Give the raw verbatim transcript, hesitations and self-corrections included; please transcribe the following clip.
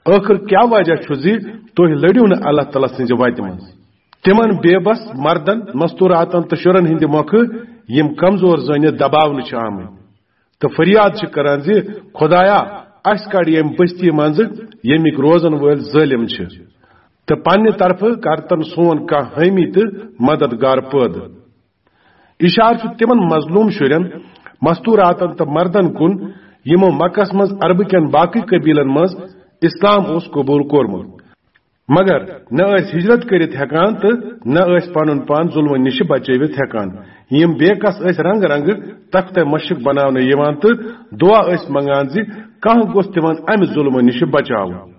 ٲخٕر کیٛاہ وجہ چھُ زِ تُہۍ لٔڑِو نہٕ اللہ تعالیٰ سٕنٛزِ وتہِ منٛز تِمن بے بس مردن، مستوراتن تہٕ شُرٮ۪ن ہٕنٛدِ مۄکھٕ، یِم کمزور زٲنِتھ دباونہٕ چھِ آمٕتۍ، تہٕ فریاد چھِ کران زِ، خدایا، اسہِ کڑ ییٚمہِ بستی منٛزٕ، ییٚمِکۍ روزن وٲلۍ ظٲلم چھِ، تہٕ پننہِ طرفہٕ کر تن سون کانٛہہ حٲمی تہٕ مددگار پٲدٕ۔ اشارٕ چھُ تِمن مظلوم شُرٮ۪ن، مستوراتن تہٕ مردن کُن، یِمو مکس منٛز عربہٕ کٮ۪ن باقٕے قبیلن منٛز اسلام اوس قبول کوٚرمُت، مگر نہ ٲسۍ ہجرت کٔرِتھ ہٮ۪کان تہٕ نہ ٲسۍ پنُن پان ظلمن نِش بچٲوِتھ ہٮ۪کان۔ یِم بے کس ٲسۍ رنگہٕ رنگہٕ تختِ مشق بناونہٕ یِوان تہٕ دعا ٲسۍ منگان زِ کانٛہہ گوٚژھ تِمن امہِ ظلمہٕ نِش بچاوُن۔